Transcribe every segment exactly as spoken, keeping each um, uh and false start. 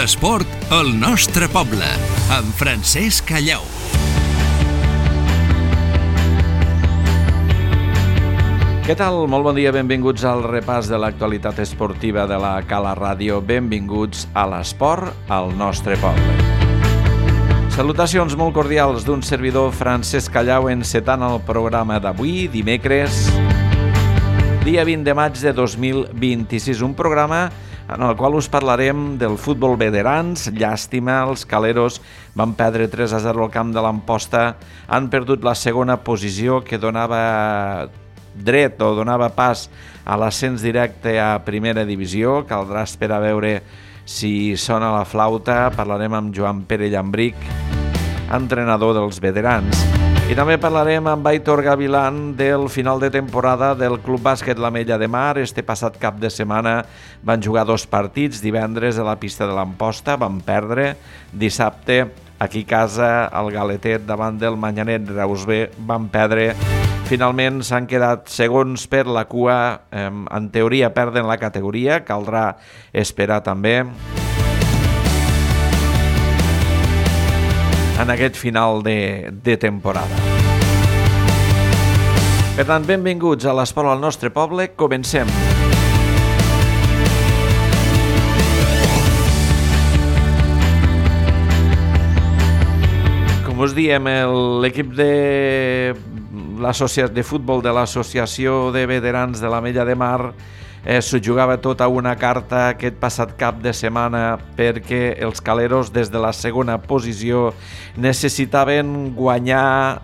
L'esport al nostre poble, amb Francesc Callau. Què tal? Molt bon dia, benvinguts al repàs de l'actualitat esportiva de la Cala Ràdio. Benvinguts a l'esport al nostre poble. Salutacions molt cordials d'un servidor, Francesc Callau, encetant el programa d'avui, dimecres, dia vint de maig de dos mil vint-i-sis, un programa en el qual us parlarem del futbol veterans. Llàstima, els caleros van perdre tres a zero al camp de l'Amposta, han perdut la segona posició que donava dret o donava pas a l'ascens directe a primera divisió. Caldrà esperar a veure si sona la flauta. Parlarem amb Joan Pere Llambric, entrenador dels veterans. I també parlarem amb Aitor Gavilán del final de temporada del Club Bàsquet l'Ametlla de Mar. Este passat cap de setmana van jugar dos partits, divendres a la pista de l'Amposta, van perdre. Dissabte, aquí a casa, al Galetet, davant del Manyanet Reus B, van perdre. Finalment s'han quedat segons per la cua, en teoria perden la categoria, caldrà esperar també en aquest final de, de temporada. Per tant, benvinguts a l'esport al nostre poble. Comencem. Com us diem, l'equip de, de futbol de l'Associació de Veterans de l'Ametlla de Mar Eh, s'ho jugava tot a una carta aquest passat cap de setmana perquè els caleros des de la segona posició necessitaven guanyar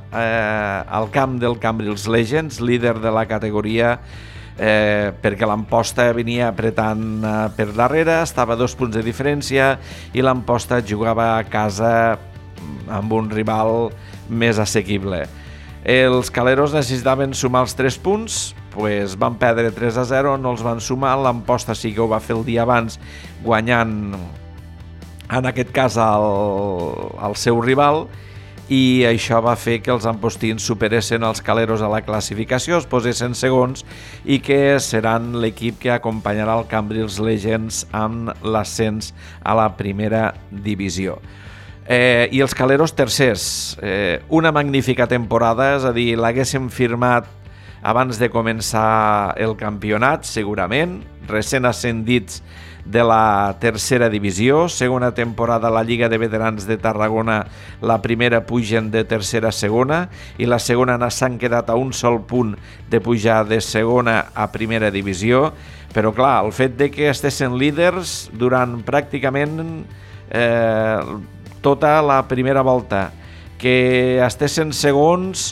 eh, al camp del Cambrils Legends, líder de la categoria, eh, perquè l'Amposta venia apretant eh, per darrere, estava a dos punts de diferència i l'Amposta jugava a casa amb un rival més assequible. Els caleros necessitaven sumar els tres punts, pues van perdre tres a zero, no els van sumar. L'Amposta sí que ho va fer el dia abans, guanyant en aquest cas el, el seu rival, i això va fer que els ampostins superessin els caleros a la classificació, es posessin segons i que seran l'equip que acompanyarà el Cambrils Legends amb l'ascens a la primera divisió. Eh, I els caleros tercers, eh, una magnífica temporada, és a dir, l'haguéssim firmat abans de començar el campionat, segurament, recent ascendits de la tercera divisió, segona temporada a la Lliga de Veterans de Tarragona, la primera pugen de tercera a segona i la segona s'han quedat a un sol punt de pujar de segona a primera divisió, però clar, el fet de que estessin líders durant pràcticament eh, tota la primera volta, que estessin segons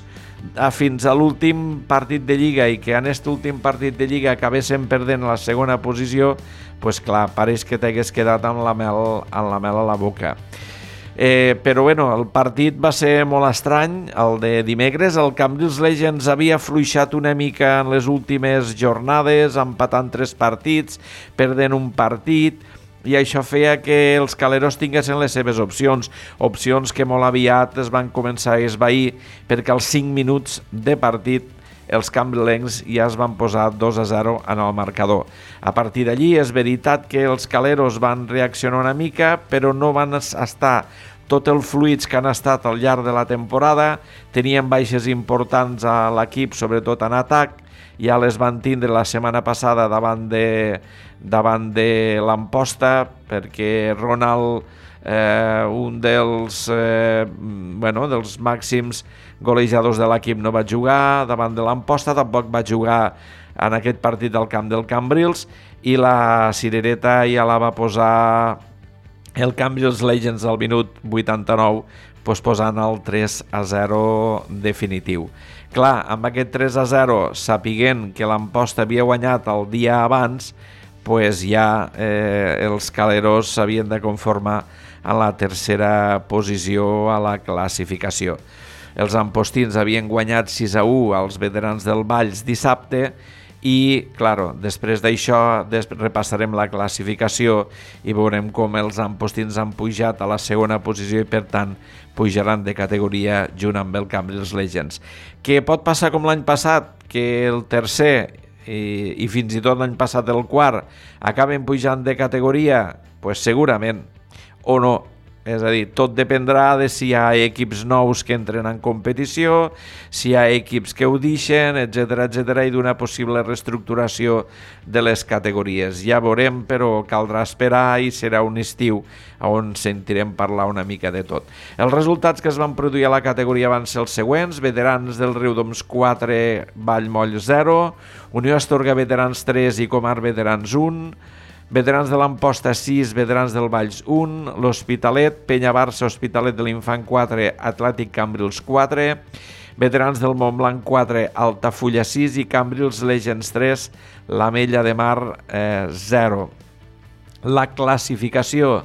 a fins a l'últim partit de Lliga i que en aquest últim partit de Lliga acabessin perdent la segona posició, pues clar, pareix que t'hagués quedat amb la mel, amb la mel a la boca. Eh, però bueno, el partit va ser molt estrany, el de dimecres. El Cambrils Legends havia fluixat una mica en les últimes jornades, empatant tres partits, perdent un partit, i això feia que els caleros tinguessin les seves opcions, opcions que molt aviat es van començar a esvair perquè als cinc minuts de partit els cambrilencs ja es van posar dos a zero en el marcador. A partir d'allí és veritat que els caleros van reaccionar una mica, però no van estar tot els fluids que han estat al llarg de la temporada. Tenien baixes importants a l'equip, sobretot en atac, ja les van tindre la setmana passada davant de, davant de l'Amposta, perquè Ronald, eh, un dels, eh, bueno, dels màxims golejadors de l'equip, no va jugar davant de l'Amposta, tampoc va jugar en aquest partit del camp del Cambrils, i la cirereta ja la va posar el Cambrils Legends al minut vuitanta-nou, pues posant el tres a zero definitiu. Clar, amb aquest tres a zero, sapiguent que l'Amposta havia guanyat el dia abans, pues ja eh, els caleros s'havien de conformar a la tercera posició a la classificació. Els ampostins havien guanyat sis a u als veterans del Valls dissabte i, claro, després d'això repassarem la classificació i veurem com els ampostins han pujat a la segona posició i, per tant, pujaran de categoria junt amb el Cambrils Legends. Què pot passar com l'any passat? Que el tercer i, i fins i tot l'any passat el quart acaben pujant de categoria? Pues segurament. o no. És a dir, tot dependrà de si hi ha equips nous que entren en competició, si hi ha equips que ho deixen, etcètera, etcètera, i d'una possible reestructuració de les categories. Ja veurem, però caldrà esperar i serà un estiu on sentirem parlar una mica de tot. Els resultats que es van produir a la categoria van ser els següents: Veterans del Riudoms quatre, Vallmoll zero, Unió Astorga Veterans tres i Comar Veterans un, Veterans de l'Amposta sis, Veterans del Valls un, l'Hospitalet, Penya Barça, Hospitalet de l'Infant quatre, Atlètic Cambrils quatre, Veterans del Montblanc quatre, Altafulla sis i Cambrils Legends tres, l'Ametlla de Mar eh, zero. La classificació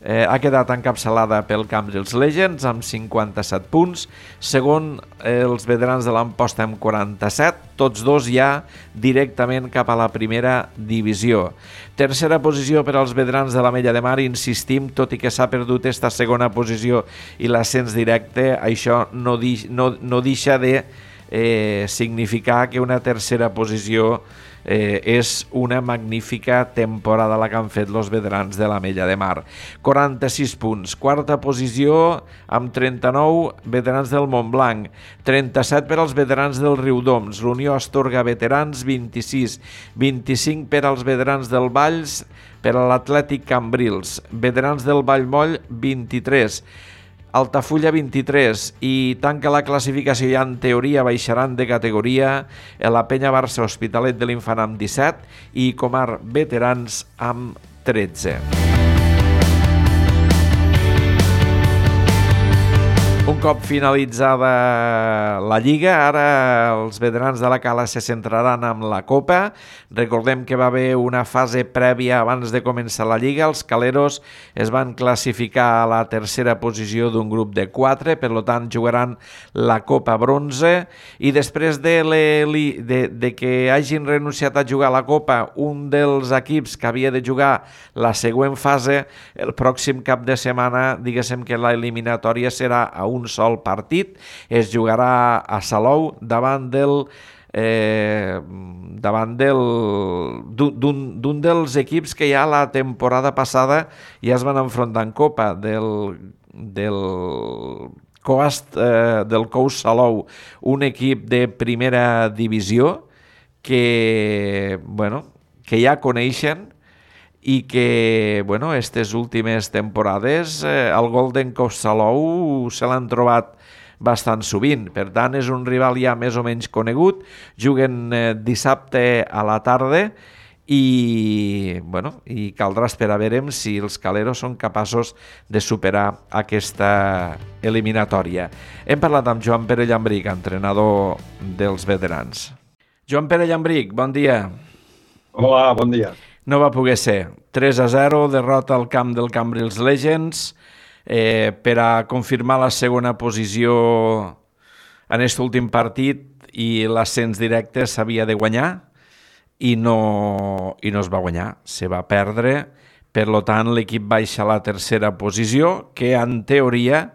eh, ha quedat encapçalada pel Cambrils Legends amb cinquanta-set punts, segon eh, els Veterans de l'Amposta amb quaranta-set, tots dos ja directament cap a la primera divisió. Tercera posició per als Veterans de l'Ametlla de Mar, insistim, tot i que s'ha perdut esta segona posició i l'ascens directe, això no, di, no, no deixa de eh, significar que una tercera posició Eh, és una magnífica temporada la que han fet els Veterans de l'Ametlla de Mar. quaranta-sis punts. Quarta posició amb trenta-nou, Veterans del Montblanc. trenta-set per als Veterans del Riudoms. L'Unió Astorga Veterans, vint-i-sis. vint-i-cinc per als Veterans del Valls, per a l'Atlètic Cambrils. Veterans del Vallmoll, vint-i-tres. Altafulla vint-i-tres, i tanca la classificació, ja en teoria baixaran de categoria, la Penya Barça Hospitalet de l'Infant amb disset i Comar Veterans amb tretze. Un cop finalitzada la Lliga, ara els veterans de la Cala se centraran en la Copa. Recordem que va haver una fase prèvia abans de començar la Lliga. Els caleros es van classificar a la tercera posició d'un grup de quatre, per tant jugaran la Copa Bronze, i després de, de, de que hagin renunciat a jugar la Copa un dels equips que havia de jugar la següent fase, el pròxim cap de setmana, diguéssim que l'eliminatòria serà a un un sol partit, es jugarà a Salou davant del eh, davant del d'un d'un dels equips que ja la temporada passada ja es van enfrontar en Copa, del del Coast, eh, del Cous Salou, un equip de primera divisió que, bueno, que ja coneixen i que, bueno, aquestes últimes temporades eh, el Golden Coast Salou se l'han trobat bastant sovint. Per tant, és un rival ja més o menys conegut. Juguen eh, dissabte a la tarda i, bueno, i caldrà esperar a veure si els caleros són capaços de superar aquesta eliminatòria. Hem parlat amb Joan Pere Llambric, entrenador dels veterans. Joan Pere Llambric, bon dia. Hola, bon dia. No va poder ser. tres a zero, derrota al camp del Cambrils Legends eh, per a confirmar la segona posició en aquest últim partit, i l'ascens directe s'havia de guanyar i no, i no es va guanyar, se va perdre. Per tant, l'equip baixa a la tercera posició, que en teoria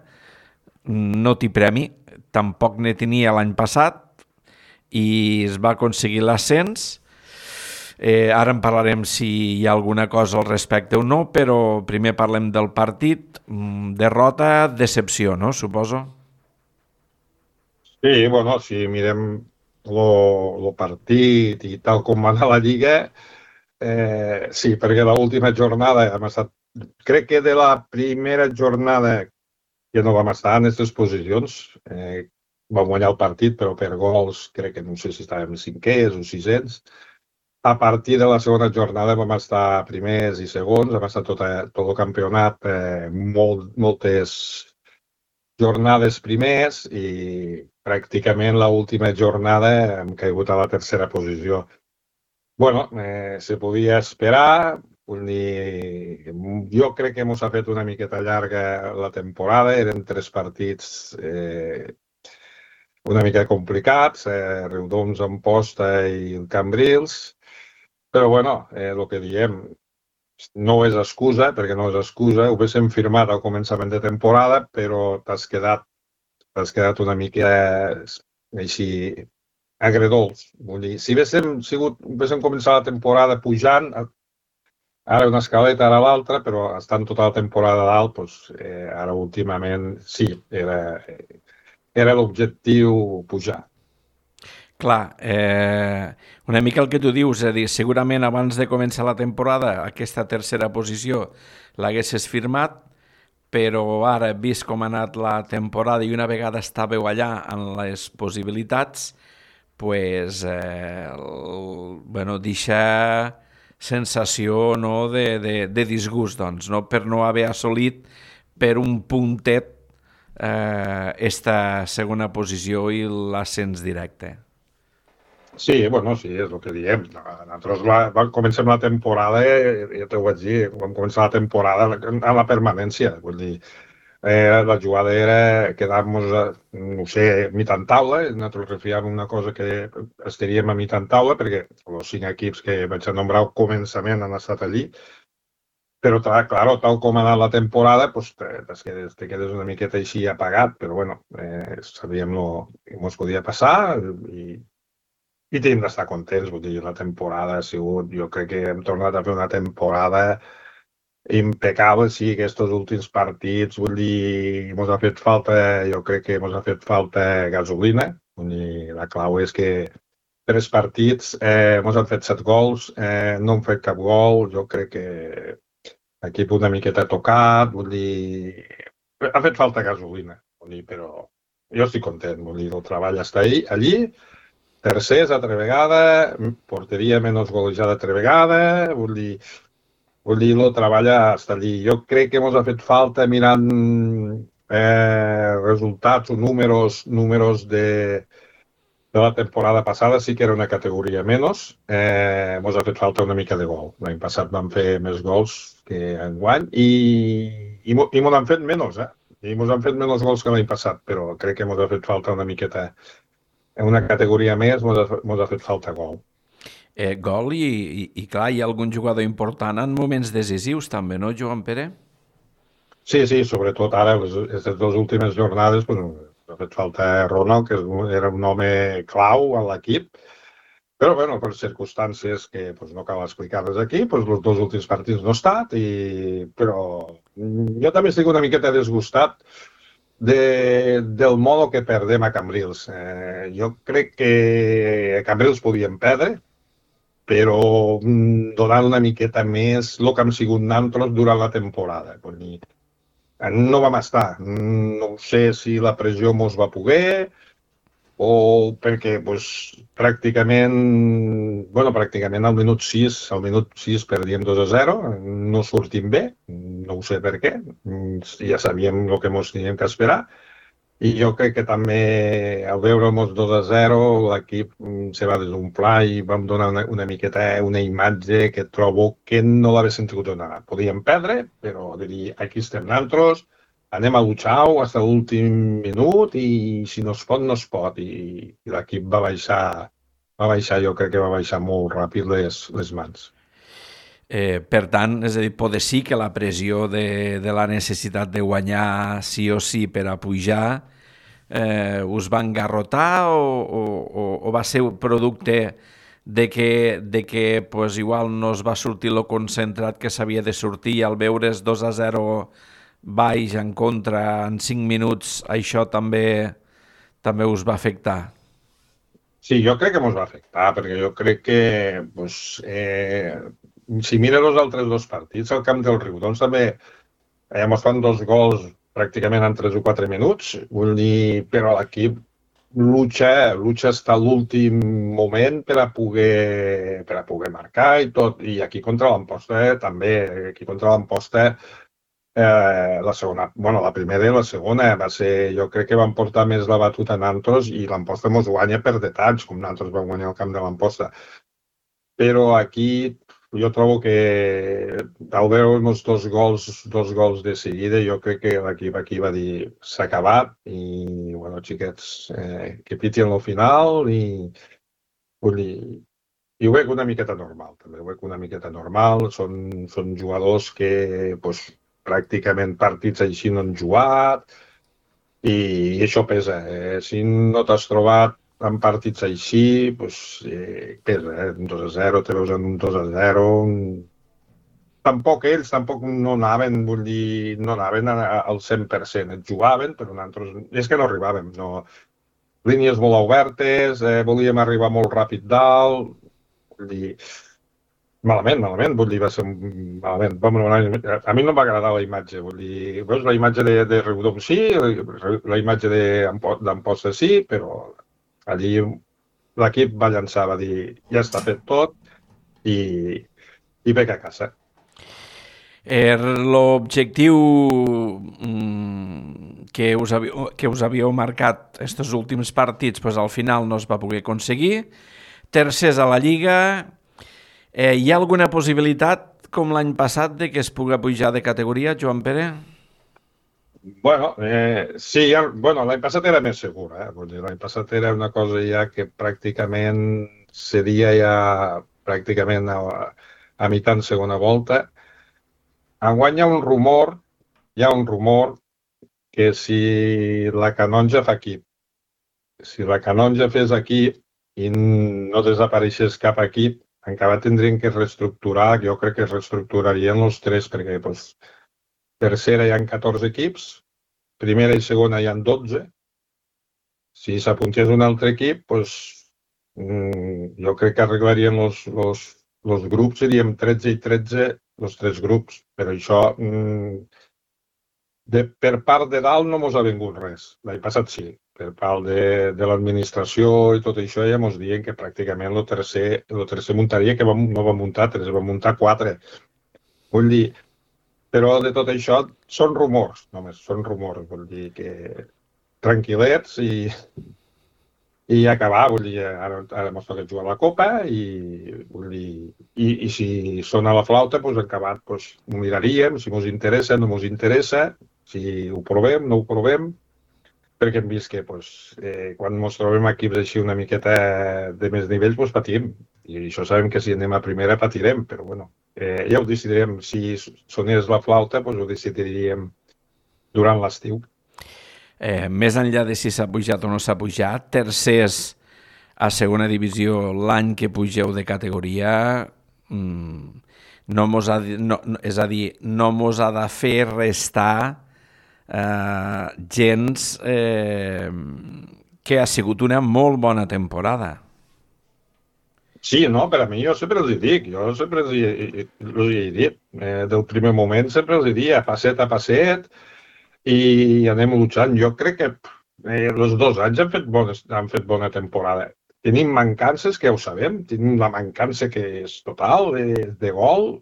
no té premi, tampoc ne tenia l'any passat, i es va aconseguir l'ascens. Eh, ara en parlarem si hi ha alguna cosa al respecte o no, però primer parlem del partit. Derrota, decepció, no? Suposo. Sí, bueno, si mirem el partit i tal com va anar la Lliga, eh, sí, perquè l'última jornada hem estat, crec que de la primera jornada que no vam estar en aquestes posicions, eh, vam guanyar el partit, però per gols crec que no sé si estàvem cinquers o sisens. A partir de la segona jornada vam estar primers i segons, vam estar tot, tot el campionat, eh, molt, moltes jornades primers, i pràcticament l'última jornada hem caigut a la tercera posició. Bueno, eh, se podia esperar, jo crec que ens ha fet una miqueta llarga la temporada, eren tres partits eh, una mica complicats, eh, Riudoms, Amposta i el Cambrils. Però, bueno, eh, el que diem no és excusa, perquè no és excusa. Ho haguéssim firmat al començament de temporada, però t'has quedat, t'has quedat una mica així agredolç. Vull dir, si haguéssim, sigut, haguéssim començat la temporada pujant, ara una escaleta, ara l'altra, però estant tota la temporada dalt, doncs, eh, ara últimament sí, era, era l'objectiu pujar. Clar, eh, una mica el que tu dius, és a dir, segurament abans de començar la temporada aquesta tercera posició l'haguessis firmat, però ara, vist com ha anat la temporada i una vegada estàveu allà en les possibilitats, pues, eh, el, bueno, deixa sensació, no, de, de, de disgust, doncs, no? Per no haver assolit per un puntet eh, esta segona posició i l'ascens directe. Sí, bueno, sí, és el que diem. Nosaltres la, va, comencem la temporada, eh, ja t'ho vaig dir, vam començar la temporada a la permanència. Vull dir, eh, la jugada era quedar-nos, no sé, mitant taula. Nosaltres refiàvem una cosa que estaríem a mitant taula, perquè els cinc equips que vaig anomenar al començament han estat allí. Però, clar, tal com ha anat la temporada, pues, te, te, quedes, te quedes una miqueta així apagat, però bueno, eh, sabíem el que ens podia passar i I tenim d'estar contents, vull dir, la temporada ha sigut, jo crec que hem tornat a fer una temporada impecable, sí, aquests últims partits, vull dir, ens ha fet falta, jo crec que ens ha fet falta gasolina, vull dir, la clau és que tres partits, eh, ens han fet set gols, eh, no hem fet cap gol, jo crec que l'equip una miqueta tocat, vull dir, ha fet falta gasolina, vull dir, però jo estic content, vull dir, el treball està ahí, allí, tercers altra vegada, porteria menys golejada altra vegada, vull dir, vull dir, el treball està allí. Jo crec que ens ha fet falta mirant eh, resultats o números, números de, de la temporada passada, sí que era una categoria menys, eh, ens ha fet falta una mica de gol. L'any passat vam fer més gols que enguany i, i, i m'ho han fet menys, eh? I ens han fet menys gols que l'any passat, però crec que ens ha fet falta una miqueta en una categoria més ens ha, ha fet falta gol. Eh, gol i, i, i, clar, hi ha algun jugador important en moments decisius també, no, Joan Pere? Sí, sí, sobretot ara, aquestes dues últimes jornades, pues, ha fet falta Ronald, que era un home clau a l'equip, però, bueno, per circumstàncies que pues, no cal explicar-les aquí, pues, els dos últims partits no ha estat, i... però jo també estic una miqueta disgustat De, del modo que perdem a Cambrils. Eh, jo crec que a Cambrils podíem perdre, però mm, donant una miqueta més el que hem sigut nosaltres durant la temporada. Vull dir, no vam estar. No sé si la pressió mos va poder o perquè pues, pràcticament, bueno, pràcticament al minut sis, al minut sis perdíem dos a zero, no sortim bé, no ho sé per què, ja sabíem el que ens teníem que esperar, i jo crec que també al veure-nos dos a zero l'equip se va desunplar i vam donar una, una miqueta una imatge que trobo que no l'haguéssim tingut donar. Podíem perdre, però de dir, aquí estem nosaltres, anem a luchar-ho fins a l'últim minut i si no es pot, no es pot. I, i l'equip va baixar, va baixar, jo crec que va baixar molt ràpid les, les mans. Eh, per tant, és a dir, poder sí que la pressió de, de la necessitat de guanyar sí o sí per a pujar eh, us va engarrotar o, o, o va ser un producte de que, de que pues, igual no es va sortir el concentrat que s'havia de sortir i al veure's dos a zero baix en contra en cinc minuts, això també també us va afectar? Sí, jo crec que ens va afectar, perquè jo crec que pues, eh, si mira els altres dos partits, al camp del Riu, doncs també eh, ens fan dos gols pràcticament en tres o quatre minuts, vull dir, però l'equip lucha, lucha fins a l'últim moment per a poder per a poder marcar i tot, i aquí contra l'Amposta també, aquí contra l'Amposta Eh, la segona, bueno, la primera i la segona va ser, jo crec que van portar més la batuta a Nantos i l'Amposta mos guanya per detalls, com Nantos va guanyar el camp de l'Amposta. Però aquí jo trobo que al veure els dos gols, dos gols de seguida, jo crec que l'equip aquí va dir s'ha acabat i, bueno, xiquets, eh, que pitin al final i, vull dir, i ho veig una miqueta normal, també ho veig una miqueta normal, són, són jugadors que, pues, pràcticament partits així no han jugat i, i això pesa. Eh? Si no t'has trobat en partits així, doncs, eh, pesa. Eh? Un dos a zero, te veus en un dos a zero, tampoc ells tampoc no anaven, vull dir, no anaven al cent per cent. Et jugaven, però nosaltres... És que no arribàvem, no... Línies molt obertes, eh, volíem arribar molt ràpid dalt, vull dir... Malament, malament, vull dir, va ser malament. A mi no em va agradar la imatge, vull dir, veus, la imatge de, de Riudom sí, la imatge d'Amposta sí, però allí l'equip va llançar, va dir, ja està fet tot i, i bec a casa. Eh, L'objectiu mm, que, us havíeu, que us havíeu marcat estos últims partits, pues, al final no es va poder aconseguir. Tercers a la Lliga. Eh, hi ha alguna possibilitat, com l'any passat, de que es pugui pujar de categoria, Joan Pere? Bueno, eh, sí, ja, bueno, l'any passat era més segur, eh? L'any passat era una cosa ja que pràcticament seria ja pràcticament a, a mitjan segona volta. Enguany hi ha un rumor, hi ha un rumor que si la Canonja fa equip, si la Canonja fes equip i no desapareixés cap equip, encara tindrien que reestructurar, jo crec que es reestructurarien els tres, perquè doncs, tercera hi ha catorze equips, primera i segona hi ha dotze. Si s'apuntés un altre equip, doncs, mmm, jo crec que arreglarien els, els, els grups, seríem tretze i tretze, els tres grups. Però això, mmm, de, per part de dalt no mos ha vingut res. L'any passat sí. Per part de, de l'administració i tot això ja ens diuen que pràcticament el tercer, el tercer muntaria, que no va muntar tres, va muntar quatre. Vull dir, però de tot això són rumors, només, són rumors. Vull dir que tranquil·lets i, i acabar. Vull dir, ara, ara ens toca jugar la Copa i, vull dir, i, i si sona la flauta, doncs acabat, doncs, ho miraríem, si ens interessa, no ens interessa, si ho provem, no ho provem, perquè hem vist que doncs, eh, quan ens trobem equips així una miqueta de més nivells, doncs patim. I això sabem que si anem a primera patirem, però bueno, eh, ja ho decidirem. Si sonés la flauta, doncs ho decidiríem durant l'estiu. Eh, més enllà de si s'ha pujat o no s'ha pujat, tercers a segona divisió l'any que pugeu de categoria, mmm, no mos ha, no, és a dir, no mos ha de fer restar Uh, gens eh, que ha sigut una molt bona temporada. Sí, no, per a mi jo sempre els hi dic, jo sempre els hi, els hi he dit, eh, del primer moment sempre els hi dia, passet a passet i anem luchant. Jo crec que eh, els dos anys han fet, bones, han fet bona temporada. Tenim mancances, que ja ho sabem, tenim la mancança que és total de, de gol.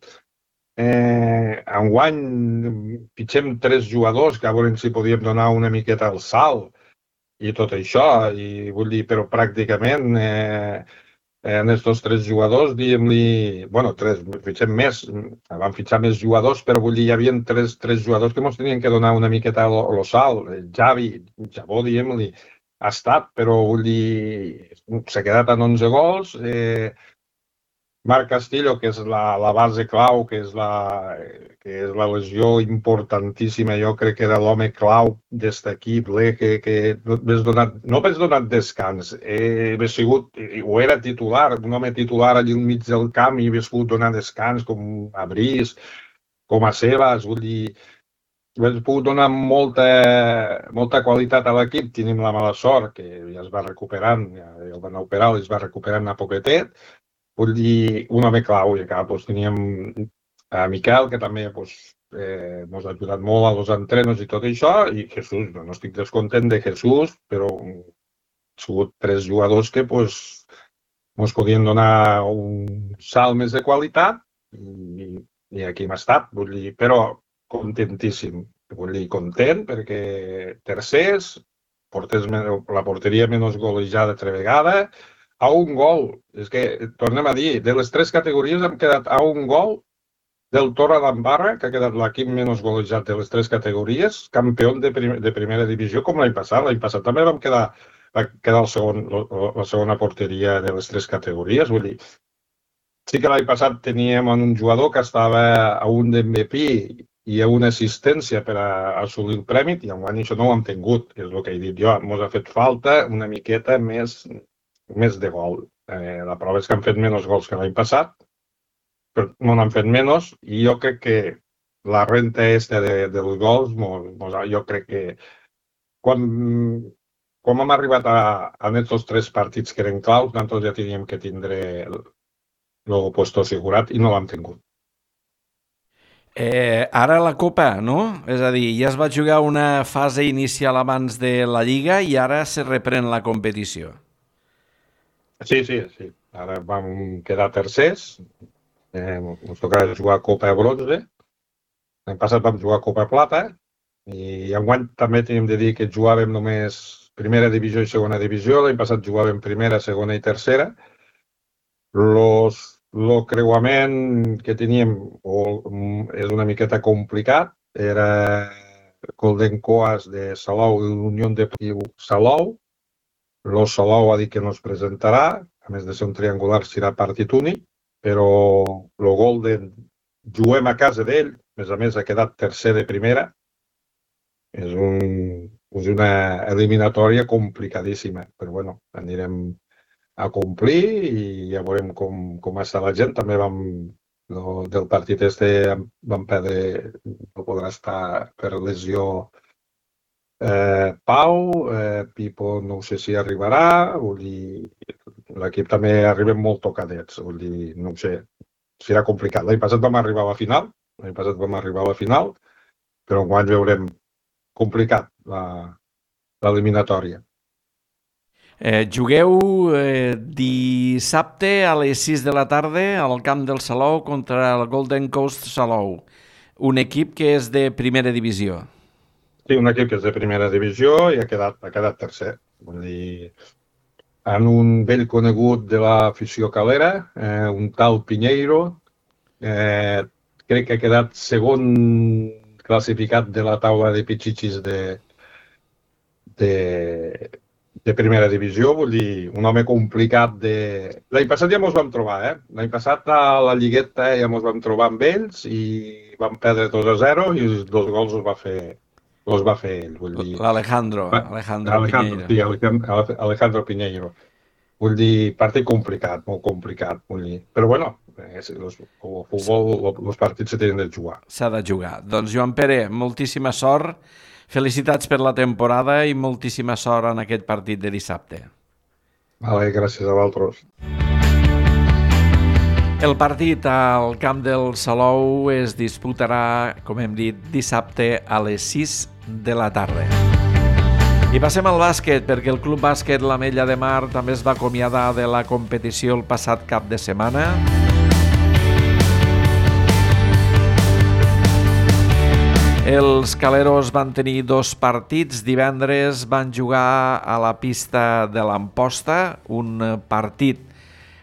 Eh, enguany pitgem tres jugadors que a veure si podíem donar una miqueta al salt i tot això, i vull dir, però pràcticament eh, en aquests tres jugadors, diguem-li, bueno, tres, fitxem més, vam fitxar més jugadors, però vull dir, hi havia tres, tres jugadors que ens tenien que donar una miqueta al salt. El Javi, Jabó, diguem-li, ha estat, però vull dir, s'ha quedat en onze gols. Eh, Marc Castillo, que és la, la base clau, que és la, que és la lesió importantíssima, jo crec que era l'home clau d'aquest equip, que, que ves donat, no ves donat descans, he, he sigut, o era titular, un home titular allà al mig del camp i he pogut donar descans com a Brice, com a Sebas, vull dir, he pogut donar molta, molta qualitat a l'equip. Tenim la mala sort que ja es va recuperant, ja el van operar i es va recuperant a poquetet. Vull dir, un home clau, i acá doncs, teníem a Miquel, que també doncs, eh, ens ha ajudat molt a els entrenos i tot això, i Jesús, no, no estic descontent de Jesús, però han sigut tres jugadors que doncs, ens podien donar un salt més de qualitat, i, i aquí hem estat, vull dir, però contentíssim, vull dir, content, perquè tercers, porters, la porteria menys golejada altra vegada, a un gol. És que, tornem a dir, de les tres categories hem quedat a un gol del Torre d'Embarra, que ha quedat l'equip menys golejat de les tres categories, campió de, prim de primera divisió, com l'any passat. L'any passat també vam quedar, va quedar el segon, la segona porteria de les tres categories. Vull dir, sí que l'any passat teníem un jugador que estava a un d'M V P i a una assistència per a assolir el premi, i enguany això no ho hem tingut, és el que he dit jo. Ens ha fet falta una miqueta més... més de gol. Eh, la prova és que han fet menys gols que l'any passat però no n'han fet menys, i jo crec que la renta esta de, dels gols, mos, mos, jo crec que quan, quan hem arribat a, a aquests tres partits que eren claus, nosaltres ja teníem que tindre el, el puesto assegurat i no l'hem tingut. Eh, ara la Copa, no? És a dir, ja es va jugar una fase inicial abans de la Lliga i ara se reprèn la competició. Sí, sí, sí. Ara vam quedar tercers. Eh, ens tocarà jugar Copa de Bronze. L'any passat vam jugar Copa Plata i enguany també tenim de dir que jugàvem només primera divisió i segona divisió. L'any passat jugàvem primera, segona i tercera. Los El creuament que teníem és una miqueta complicat. Era Golden Coas de Salou i l'Unió Deportiu Salou. El Salou ha dit que no es presentarà, a més de ser un triangular serà partit únic, però el Golden juguem a casa d'ell, a més a més ha quedat tercer de primera. És, un, és una eliminatòria complicadíssima, però bueno, anirem a complir i ja veurem com, com està la gent. També vam, no, del partit este vam perdre, no podrà estar per lesió eh, Pau, eh, Pipo no sé si arribarà, vull dir, l'equip també arribem molt tocadets, vull dir, no sé, serà complicat. L'any passat vam arribar a la final, l'any passat vam arribar a la final, però enguany veurem complicat l'eliminatòria. Eh, jugueu eh, dissabte a les sis de la tarda al camp del Salou contra el Golden Coast Salou, un equip que és de primera divisió. Sí, un equip que és de primera divisió i ha quedat, ha quedat tercer. Vull dir, en un vell conegut de l'afició calera, eh, un tal Pinheiro, eh, crec que ha quedat segon classificat de la taula de pitxitxis de, de, de primera divisió, vull dir, un home complicat de... L'any passat ja mos vam trobar, eh? L'any passat a la lligueta ja mos vam trobar amb ells i vam perdre dos a zero i els dos gols els va fer, els va fer ell, vull dir... L'Alejandro, Alejandro, Alejandro Pinheiro. Sí, Alejandro Pinheiro. Vull dir, partit complicat, molt complicat, vull dir. Però bueno, és, los, el futbol, els partits se tenen de jugar. S'ha de jugar. Doncs Joan Pere, moltíssima sort. Felicitats per la temporada i moltíssima sort en aquest partit de dissabte. Vale, gràcies a vosaltres. El partit al camp del Salou es disputarà, com hem dit, dissabte a les sis de la tarda. I passem al bàsquet, perquè el Club Bàsquet l'Ametlla de Mar també es va acomiadar de la competició el passat cap de setmana. Els caleros van tenir dos partits. Divendres van jugar a la pista de l'Amposta, un partit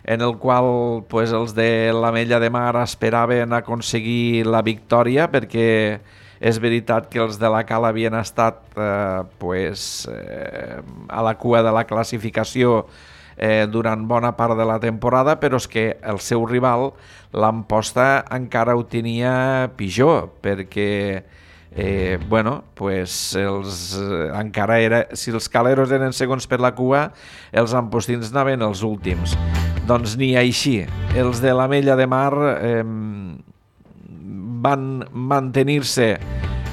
en el qual pues, els de l'Ametlla de Mar esperaven aconseguir la victòria, perquè és veritat que els de la Cala havien estat eh, pues, eh, a la cua de la classificació eh, durant bona part de la temporada, però és que el seu rival, l'Amposta, encara ho tenia pitjor, perquè Eh, bueno, pues els, eh, encara era, si els caleros eren segons per la cua, els ampostins anaven els últims. Doncs ni així. Els de l'Ametlla de Mar eh, van mantenir-se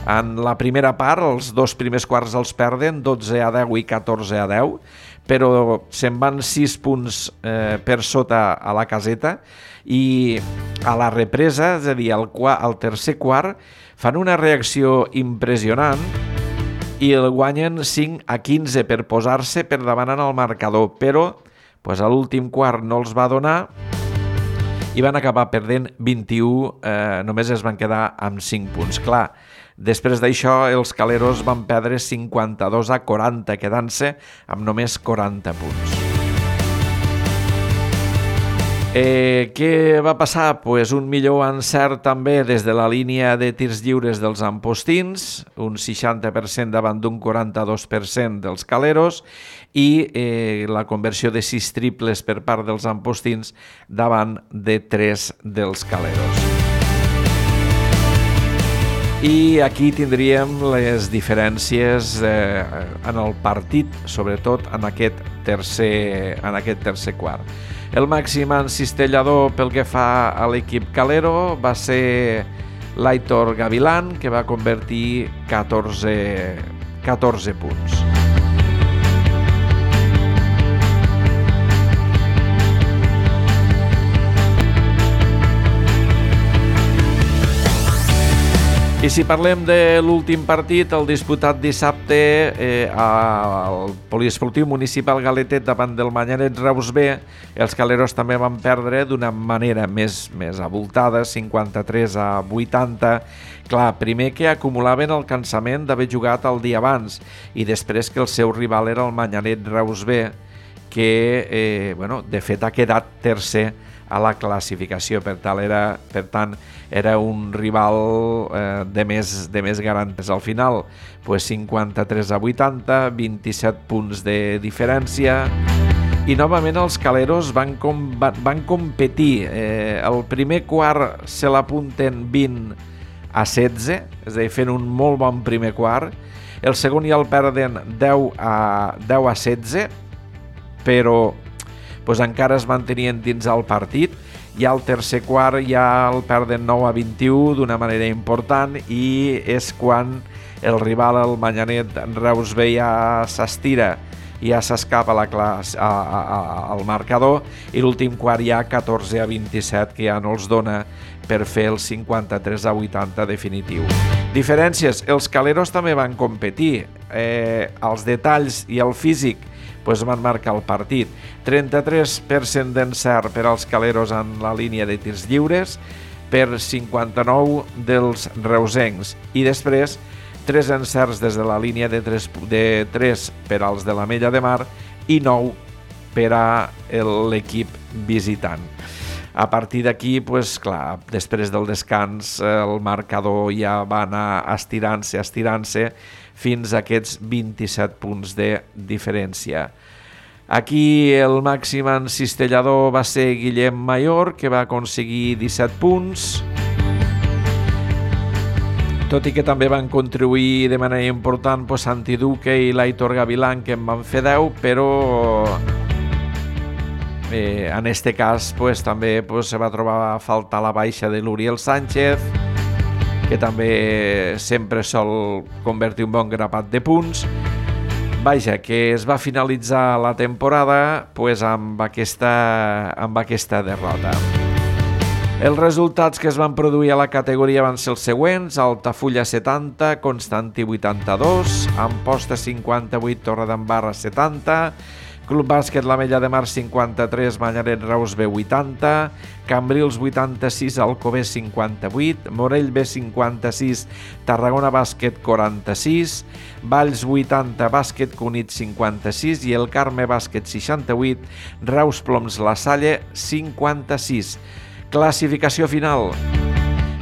en la primera part, els dos primers quarts els perden, dotze a deu i catorze a deu, però se'n van sis punts eh, per sota a la caseta i a la represa, és a dir, al, al tercer quart, fan una reacció impressionant i el guanyen cinc a quinze per posar-se per davant en el marcador, però pues, a l'últim quart no els va donar i van acabar perdent vint-i-u, eh, només es van quedar amb cinc punts. Clar, després d'això els caleros van perdre cinquanta-dos a quaranta, quedant-se amb només quaranta punts. Eh, què va passar? Pues un millor encert també des de la línia de tirs lliures dels ampostins, un seixanta per cent davant d'un quaranta-dos per cent dels caleros i eh, la conversió de sis triples per part dels ampostins davant de tres dels caleros. I aquí tindríem les diferències eh, en el partit, sobretot en aquest tercer, en aquest tercer quart. El màxim encistellador pel que fa a l'equip calero va ser l'Aitor Gavilán, que va convertir catorze, catorze punts. I si parlem de l'últim partit, el disputat dissabte eh, al Poliesportiu Municipal Galetet davant del Manyanet Reus B, els caleros també van perdre d'una manera més, més abultada, cinquanta-tres a vuitanta. Clar, primer que acumulaven el cansament d'haver jugat el dia abans i després que el seu rival era el Manyanet Reus B, que eh, bueno, de fet ha quedat tercer a la classificació, per tant era, per tant, era un rival eh, de, més, de més garanties. Al final, pues cinquanta-tres a vuitanta, vint-i-set punts de diferència, i novament els caleros van, com, van, van competir. Eh, el primer quart se l'apunten vint a setze, és a dir, fent un molt bon primer quart. El segon ja el perden deu a setze, però pues encara es mantenien dins el partit, i al tercer quart ja el perden nou a vint-i-u d'una manera important, i és quan el rival, el Manyanet Reus B, ja s'estira, ja s'escapa la classe, a, a, a, al marcador, i l'últim quart ja catorze a vint-i-set, que ja no els dona per fer el cinquanta-tres a vuitanta definitiu. Diferències, els caleros també van competir, eh, els detalls i el físic pues van marcar el partit. trenta-tres per cent d'encert per als caleros en la línia de tirs lliures, per cinquanta-nou dels reusencs, i després tres encerts des de la línia de tres, de tres per als de l'Ametlla de Mar i nou per a l'equip visitant. A partir d'aquí, pues, clar, després del descans, el marcador ja va anar estirant-se, estirant-se, fins a aquests vint-i-set punts de diferència. Aquí el màxim encistellador va ser Guillem Mayor, que va aconseguir disset punts, tot i que també van contribuir de manera important pues, Santi Duque i l'Aitor Gavilán, que en van fer deu, però eh, en este cas pues, també pues, se va trobar a faltar la baixa de l'Uriel Sánchez, que també sempre sol convertir un bon grapat de punts. Vaja, que es va finalitzar la temporada pues, amb, aquesta, amb aquesta derrota. Els resultats que es van produir a la categoria van ser els següents: Altafulla setanta, Constantí vuitanta-dos, Amposta cinquanta-vuit, Torredembarra setanta, Club Bàsquet l'Ametlla de Mar cinquanta-tres, Manyanet Reus B vuitanta, Cambrils vuitanta-sis, Alcover cinquanta-vuit, Morell B cinquanta-sis, Tarragona Bàsquet quaranta-sis, Valls vuitanta, Bàsquet Cunit cinquanta-sis i el Carme Bàsquet seixanta-vuit, Reus Ploms La Salle cinquanta-sis. Classificació final.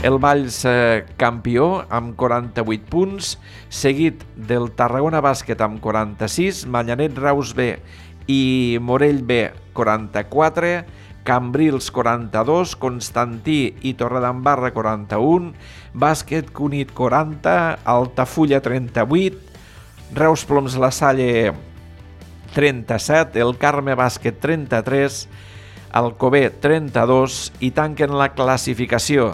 El Valls eh, campió amb quaranta-vuit punts, seguit del Tarragona Bàsquet amb quaranta-sis, Manyanet Reus B i Morell B quaranta-quatre, Cambrils quaranta-dos, Constantí i Torredembarra quaranta-un, Bàsquet Cunit quaranta, Altafulla trenta-vuit, Reus Ploms La Salle trenta-set, el Carme Bàsquet trenta-tres, Alcover trenta-dos, i tanquen la classificació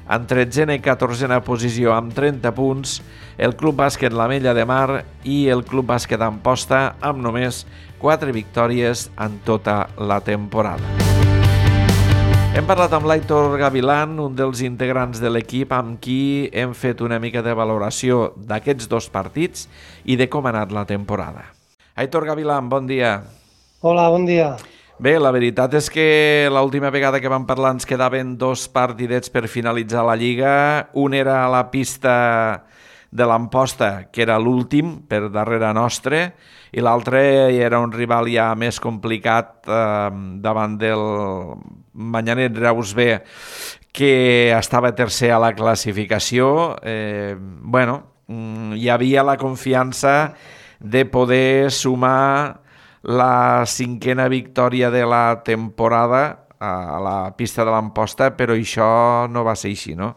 en tretzena i catorzena posició amb trenta punts el Club Bàsquet l'Ametlla de Mar i el Club Bàsquet Amposta amb només quatre victòries en tota la temporada. Hem parlat amb l'Aitor Gavilán, un dels integrants de l'equip, amb qui hem fet una mica de valoració d'aquests dos partits i de com ha anat la temporada. Aitor Gavilán, bon dia. Hola, bon dia. Bé, la veritat és que l'última vegada que vam parlar ens quedaven dos partidets per finalitzar la Lliga. Un era a la pista de l'Amposta, que era l'últim per darrere nostre, i l'altre era un rival ja més complicat eh, davant del Manyanet Reus B, que estava tercer a la classificació. Eh, bueno, hi havia la confiança de poder sumar la cinquena victòria de la temporada a la pista de l'Amposta, però això no va ser així, no?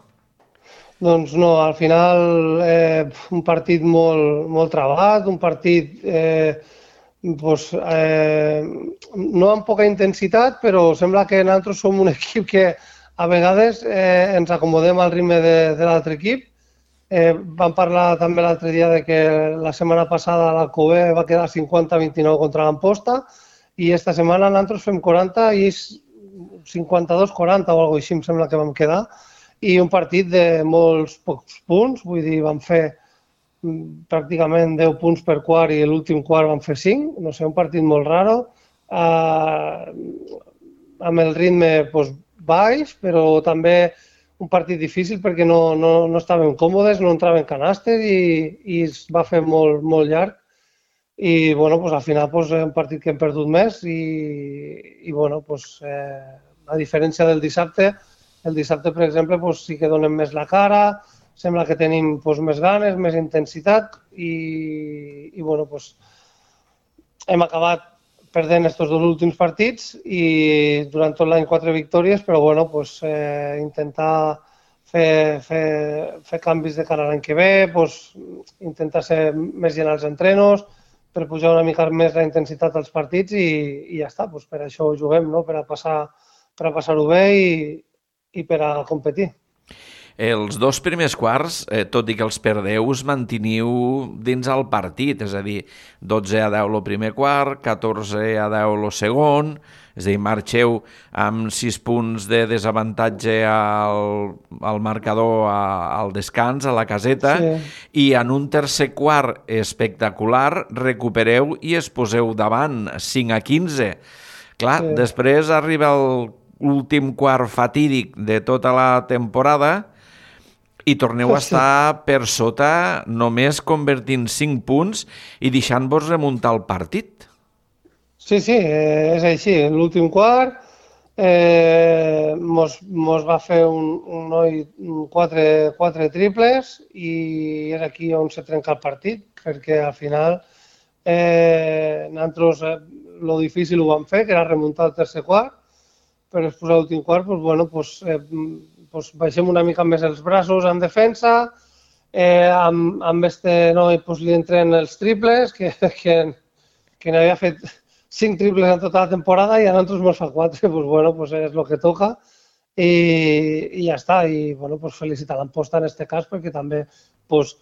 Doncs no, al final eh, un partit molt, molt treballat, un partit eh, pues, eh, no amb poca intensitat, però sembla que nosaltres som un equip que a vegades eh, ens acomodem al ritme de, de l'altre equip. Eh, vam parlar també l'altre dia de que la setmana passada l'Alcover va quedar cinquanta a vint-i-nou contra l'Amposta i esta setmana nosaltres fem quaranta i és cinquanta-dos quaranta o alguna cosa així em sembla que vam quedar. I un partit de molts pocs punts, vull dir, vam fer pràcticament deu punts per quart i l'últim quart vam fer cinc, no sé, un partit molt raro, eh, amb el ritme doncs, baix, però també un partit difícil perquè no, no, no estàvem còmodes, no entraven canastes i, i es va fer molt, molt llarg. I bueno, doncs, al final doncs, és un partit que hem perdut més i, i bueno, doncs, eh, a diferència del dissabte, el dissabte, per exemple, doncs, sí que donem més la cara, sembla que tenim doncs, més ganes, més intensitat i, i bueno, doncs, hem acabat perdent aquests dos últims partits i durant tot l'any quatre victòries, però bueno, doncs, eh, intentar fer, fer, fer canvis de cara a l'any que ve, doncs, intentar ser més gent als entrenos, per pujar una mica més la intensitat als partits i, i ja està, doncs, per això ho juguem, no? Per a passar, per a passar-ho bé i, i per a competir. Els dos primers quarts, eh, tot i que els perdeu, us manteniu dins el partit, és a dir, dotze a deu el primer quart, catorze a deu el segon, és a dir, marxeu amb sis punts de desavantatge al, al marcador a, al descans, a la caseta, sí. I en un tercer quart espectacular recupereu i es poseu davant, cinc a quinze. Clar, sí. Després arriba l'últim quart fatídic de tota la temporada i torneu a estar per sota només convertint cinc punts i deixant-vos remuntar el partit. Sí, sí, eh, és així. L'últim quart eh, mos, mos va fer un, un noi quatre, quatre triples i és aquí on se trenca el partit, perquè al final eh, nosaltres eh, lo difícil ho vam fer, que era remuntar el tercer quart, però després a l'últim quart, doncs, bueno, doncs, eh, doncs baixem una mica més els braços en defensa, eh, amb, amb este noi doncs, li entren els triples, que, que, que n'havia fet cinc triples en tota la temporada i a nosaltres ens fa quatre, doncs, bueno, doncs és el que toca i, i ja està. I bueno, doncs, felicitar l'Amposta en aquest cas perquè també doncs,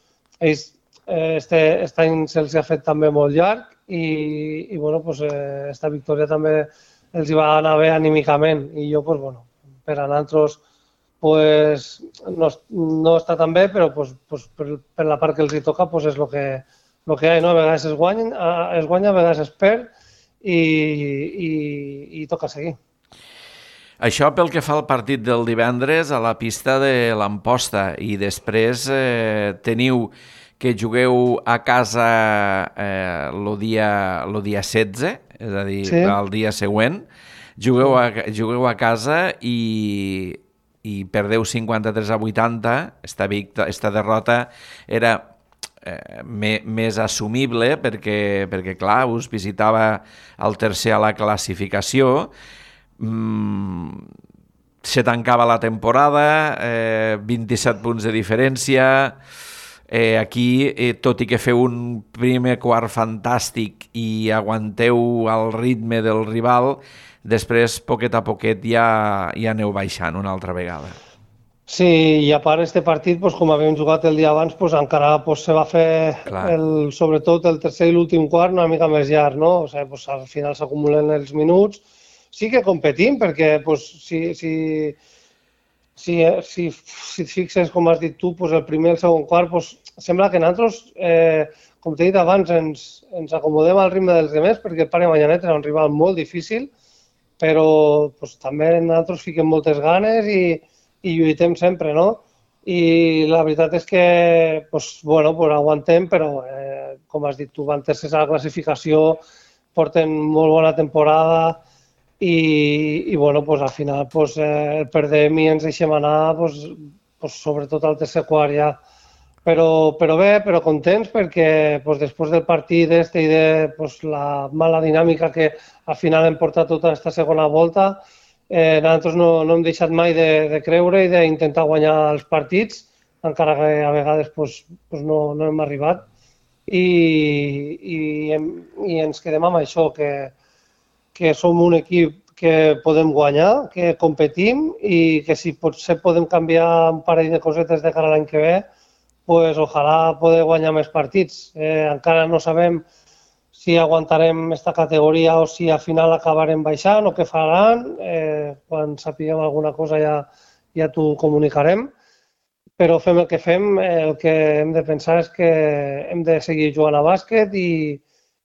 ells, eh, este, este any se'ls ha fet també molt llarg i, i bueno, doncs, eh, esta victòria també els hi va anar bé anímicament i jo, doncs, bueno, per a nosaltres pues, no, no està tan bé, però pues, pues, per, per la part que els hi toca pues, és el que, lo que hi ha, no? A vegades es guanya, es guanya, a vegades es perd i, i, i toca seguir. Això pel que fa al partit del divendres a la pista de l'Amposta i després eh, teniu que jugueu a casa eh, el dia, lo dia setze, és a dir, sí. El dia següent, jugueu a, jugueu a casa i, i perdeu cinquanta-tres a vuitanta, esta, esta derrota era eh, me, més assumible perquè, perquè, clar, us visitava el tercer a la classificació, mm, se tancava la temporada, eh, vint-i-set punts de diferència. Eh, aquí, eh, tot i que feu un primer quart fantàstic i aguanteu el ritme del rival, després, poquet a poquet, ja, ja aneu baixant una altra vegada. Sí, i a part este partit, pues, com havíem jugat el dia abans, pues, encara pues, se va fer, el, sobretot el tercer i l'últim quart, una mica més llarg, no? O sigui, pues, al final s'acumulen els minuts. Sí que competim, perquè pues, si... si Si, si, si et fixes, com has dit tu, doncs el primer i el segon quart, doncs sembla que nosaltres, eh, com t'he dit abans, ens, ens acomodem al ritme dels demés, perquè el Pare Manyanet era un rival molt difícil, però doncs, també nosaltres fiquem moltes ganes i, i lluitem sempre, no? I la veritat és que doncs, bueno, doncs aguantem, però eh, com has dit tu, van tercers a la classificació, porten molt bona temporada, i, i bueno, pues, al final pues, eh, el perdem i ens deixem anar, pues, pues, sobretot al tercer quart ja. Però, però bé, però contents perquè pues, després del partit este i de pues, la mala dinàmica que al final hem portat tota aquesta segona volta, eh, nosaltres no, no hem deixat mai de, de creure i d'intentar guanyar els partits, encara que a vegades pues, pues, no, no hem arribat. i, i, i ens quedem amb això, que, que som un equip que podem guanyar, que competim i que si potser podem canviar un parell de cosetes de cara a l'any que ve, pues ojalà poder guanyar més partits. Eh, encara no sabem si aguantarem aquesta categoria o si al final acabarem baixant o què faran. Eh, quan sapiguem alguna cosa ja, ja t'ho comunicarem. Però fem el que fem, el que hem de pensar és que hem de seguir jugant a bàsquet i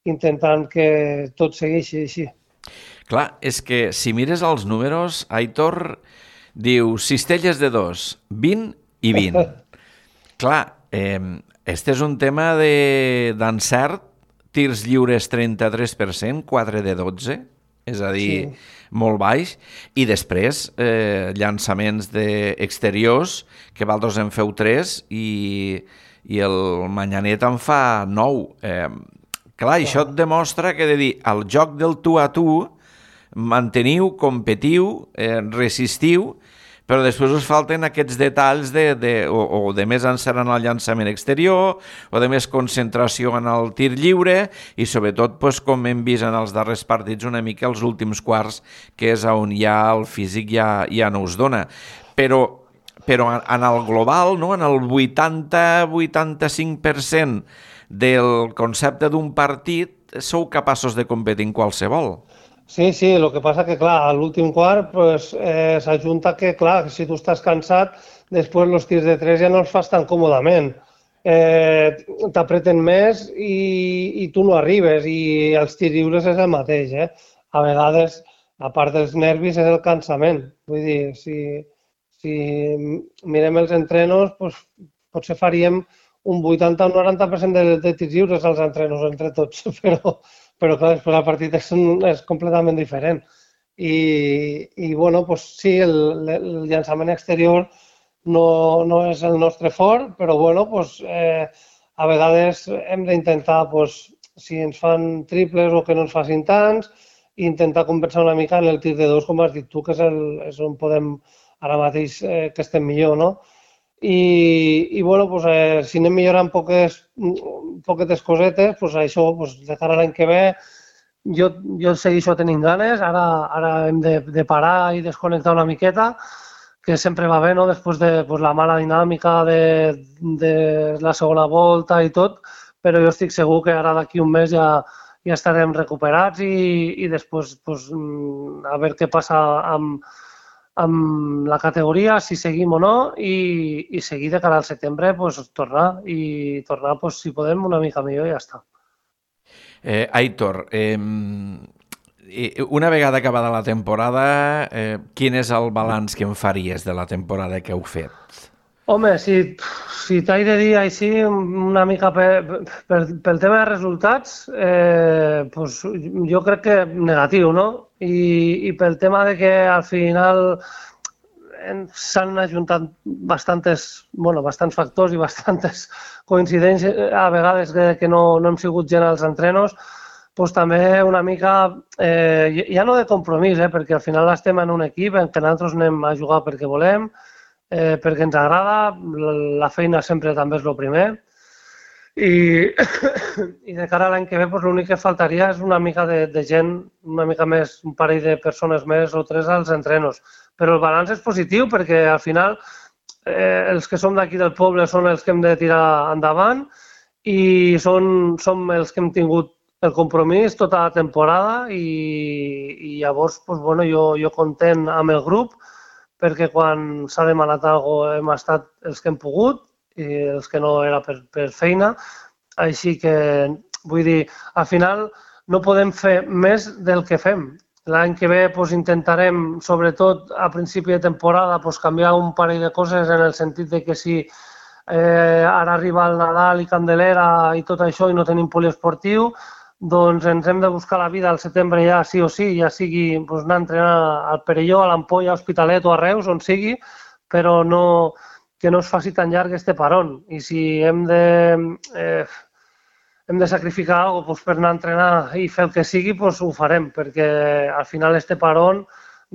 intentant que tot segueixi així. Clar, és que si mires els números, Aitor diu cistelles de dos, vint i vint. Clar, eh, este és un tema d'encert, tirs lliures trenta-tres per cent, quatre de dotze, és a dir, sí, molt baix, i després eh, llançaments d'exteriors, que vosaltres en feu tres i, i el Manyanet en fa nou. Eh, clar, això et demostra que de dir, el joc del tu a tu manteniu, competiu, eh, resistiu, però després us falten aquests detalls de, de, o, o de més encert en el llançament exterior, o de més concentració en el tir lliure, i sobretot, pues, com hem vist en els darrers partits, una mica els últims quarts, que és on ja el físic ja, ja no us dona. Però, però en el global, no? En el vuitanta a vuitanta-cinc per cent del concepte d'un partit, sou capaços de competir en qualsevol. Sí, sí, el que passa que, clar, a l'últim quart pues, eh, s'ajunta que, clar, si tu estàs cansat, després els tirs de tres ja no els fas tan còmodament. Eh, T'apreten més i, i tu no arribes, i els tirs lliures és el mateix. Eh? A vegades, a part dels nervis, és el cansament. Vull dir, si, si mirem els entrenos, pues, potser faríem un vuitanta o un noranta per cent de, de tirs lliures als entrenos entre tots, però... però clar, després el partit és, és completament diferent. I, i bueno, pues sí, el, el llançament exterior no, no és el nostre fort, però bueno, pues, eh, a vegades hem d'intentar, pues, si ens fan triples o que no ens facin tants, intentar compensar una mica en el tir de dos, com has dit tu, que és, el, és on podem ara mateix eh, que estem millor, no? I, i bueno, pues, eh, si anem millorant poques, poquetes cosetes, pues, això pues, de cara a l'any que ve jo, jo segueixo tenint ganes, ara, ara hem de, de parar i desconnectar una miqueta, que sempre va bé, no? Després de pues, la mala dinàmica de, de la segona volta i tot, però jo estic segur que ara d'aquí un mes ja, ja estarem recuperats i, i després pues, a veure què passa amb amb la categoria, si seguim o no, i, i seguir de cara al setembre, pues, tornar, i tornar, pues, si podem, una mica millor i ja està. Eh, Aitor, eh, una vegada acabada la temporada, eh, quin és el balanç que em faries de la temporada que heu fet? Home, si, si t'haig de dir així, una mica per, per, pel tema de resultats, eh, pues, jo crec que negatiu, no? I, i pel tema de que al final s'han ajuntat bastantes, bueno, bastants factors i bastantes coincidències, a vegades que, que no, no hem sigut gent als entrenos, pues també una mica, eh, ja no de compromís, eh, perquè al final estem en un equip en què nosaltres anem a jugar perquè volem, eh, perquè ens agrada, la feina sempre també és el primer, i, i de cara a l'any que ve pues, l'únic que faltaria és una mica de, de gent, una mica més, un parell de persones més o tres als entrenos. Però el balanç és positiu perquè al final eh, els que som d'aquí del poble són els que hem de tirar endavant i són, som els que hem tingut el compromís tota la temporada i, i llavors pues, bueno, jo, jo content amb el grup perquè quan s'ha demanat alguna cosa hem estat els que hem pogut i els que no era per, per feina. Així que, vull dir, al final no podem fer més del que fem. L'any que ve pues, intentarem, sobretot a principi de temporada, pues, canviar un parell de coses en el sentit de que si eh, ara arriba el Nadal i Candelera i tot això i no tenim poliesportiu, doncs ens hem de buscar la vida al setembre ja sí o sí, ja sigui pues, anar a entrenar al Perelló, a l'Ampolla, a Hospitalet o a Reus, on sigui, però no... que no es faci tan llarg este parón. I si hem de, eh, hem de sacrificar alguna cosa pues, per anar a entrenar i fer el que sigui, pues, ho farem, perquè al final este parón,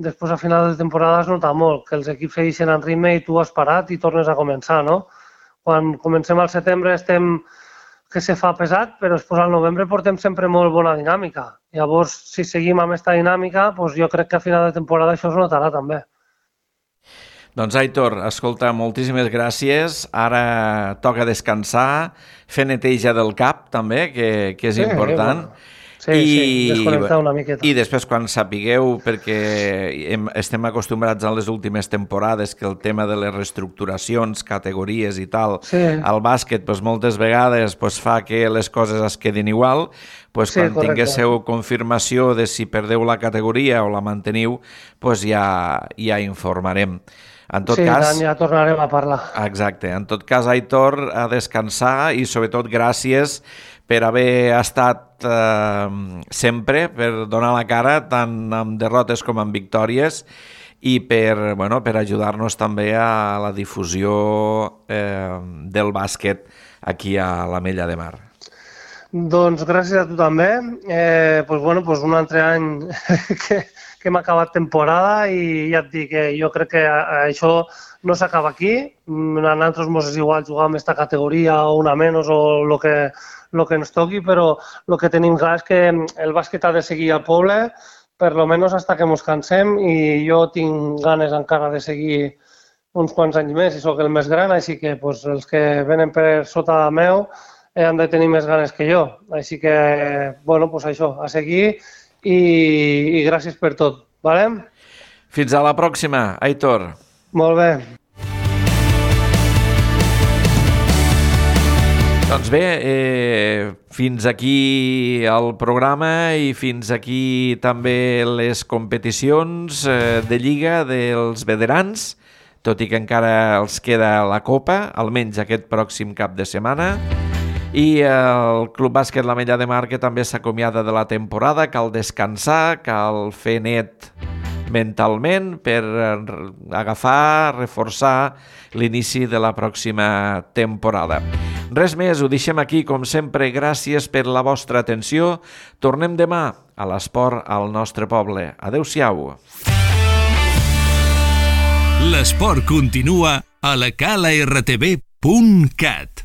després a final de temporada es nota molt, que els equips segueixen en ritme i tu has parat i tornes a començar, no? Quan comencem al setembre estem que se fa pesat, però després al novembre portem sempre molt bona dinàmica. Llavors, si seguim amb aquesta dinàmica, doncs jo crec que a final de temporada això es notarà també. Doncs Aitor, escolta, moltíssimes gràcies. Ara toca descansar, fer neteja del cap també, que, que és sí, important. Bueno. Sí, I, sí, desconnectar una miqueta. I després quan sapigueu, perquè hem, estem acostumbrats a les últimes temporades que el tema de les reestructuracions, categories i tal, sí. al bàsquet pues, moltes vegades pues, fa que les coses es quedin igual, pues, sí, quan correcte. Tinguéssiu confirmació de si perdeu la categoria o la manteniu, pues, ja, ja informarem. En tot sí, cas, ja tornarem a parlar. Exacte. En tot cas, Aitor, a descansar i sobretot gràcies per haver estat eh, sempre, per donar la cara tant amb derrotes com amb victòries i per, bueno, per ajudar-nos també a la difusió eh, del bàsquet aquí a l'Ametlla de Mar. Doncs gràcies a tu també. Eh, pues, bueno, pues un altre any que, que hem acabat temporada i ja et dic que jo crec que això no s'acaba aquí. A nosaltres ens és igual jugar amb aquesta categoria o una menys o el que, lo que ens toqui, però el que tenim clar és que el bàsquet ha de seguir al poble, per lo menos hasta que ens cansem, i jo tinc ganes encara de seguir uns quants anys més i sóc el més gran, així que pues, els que venen per sota meu eh, han de tenir més ganes que jo. Així que, bueno, pues això, a seguir i, i gràcies per tot. Vale? Fins a la pròxima, Aitor. Molt bé. Doncs bé, eh, fins aquí el programa i fins aquí també les competicions eh, de Lliga dels veterans, tot i que encara els queda la Copa, almenys aquest pròxim cap de setmana. I el Club Bàsquet l'Ametlla de Mar, que també s'acomiada de la temporada, cal descansar, cal fer net mentalment per agafar, reforçar l'inici de la pròxima temporada. Res més, ho deixem aquí, com sempre, gràcies per la vostra atenció. Tornem demà a l'esport al nostre poble. Adéu-siau. L'esport continua a la cala r t v punt cat.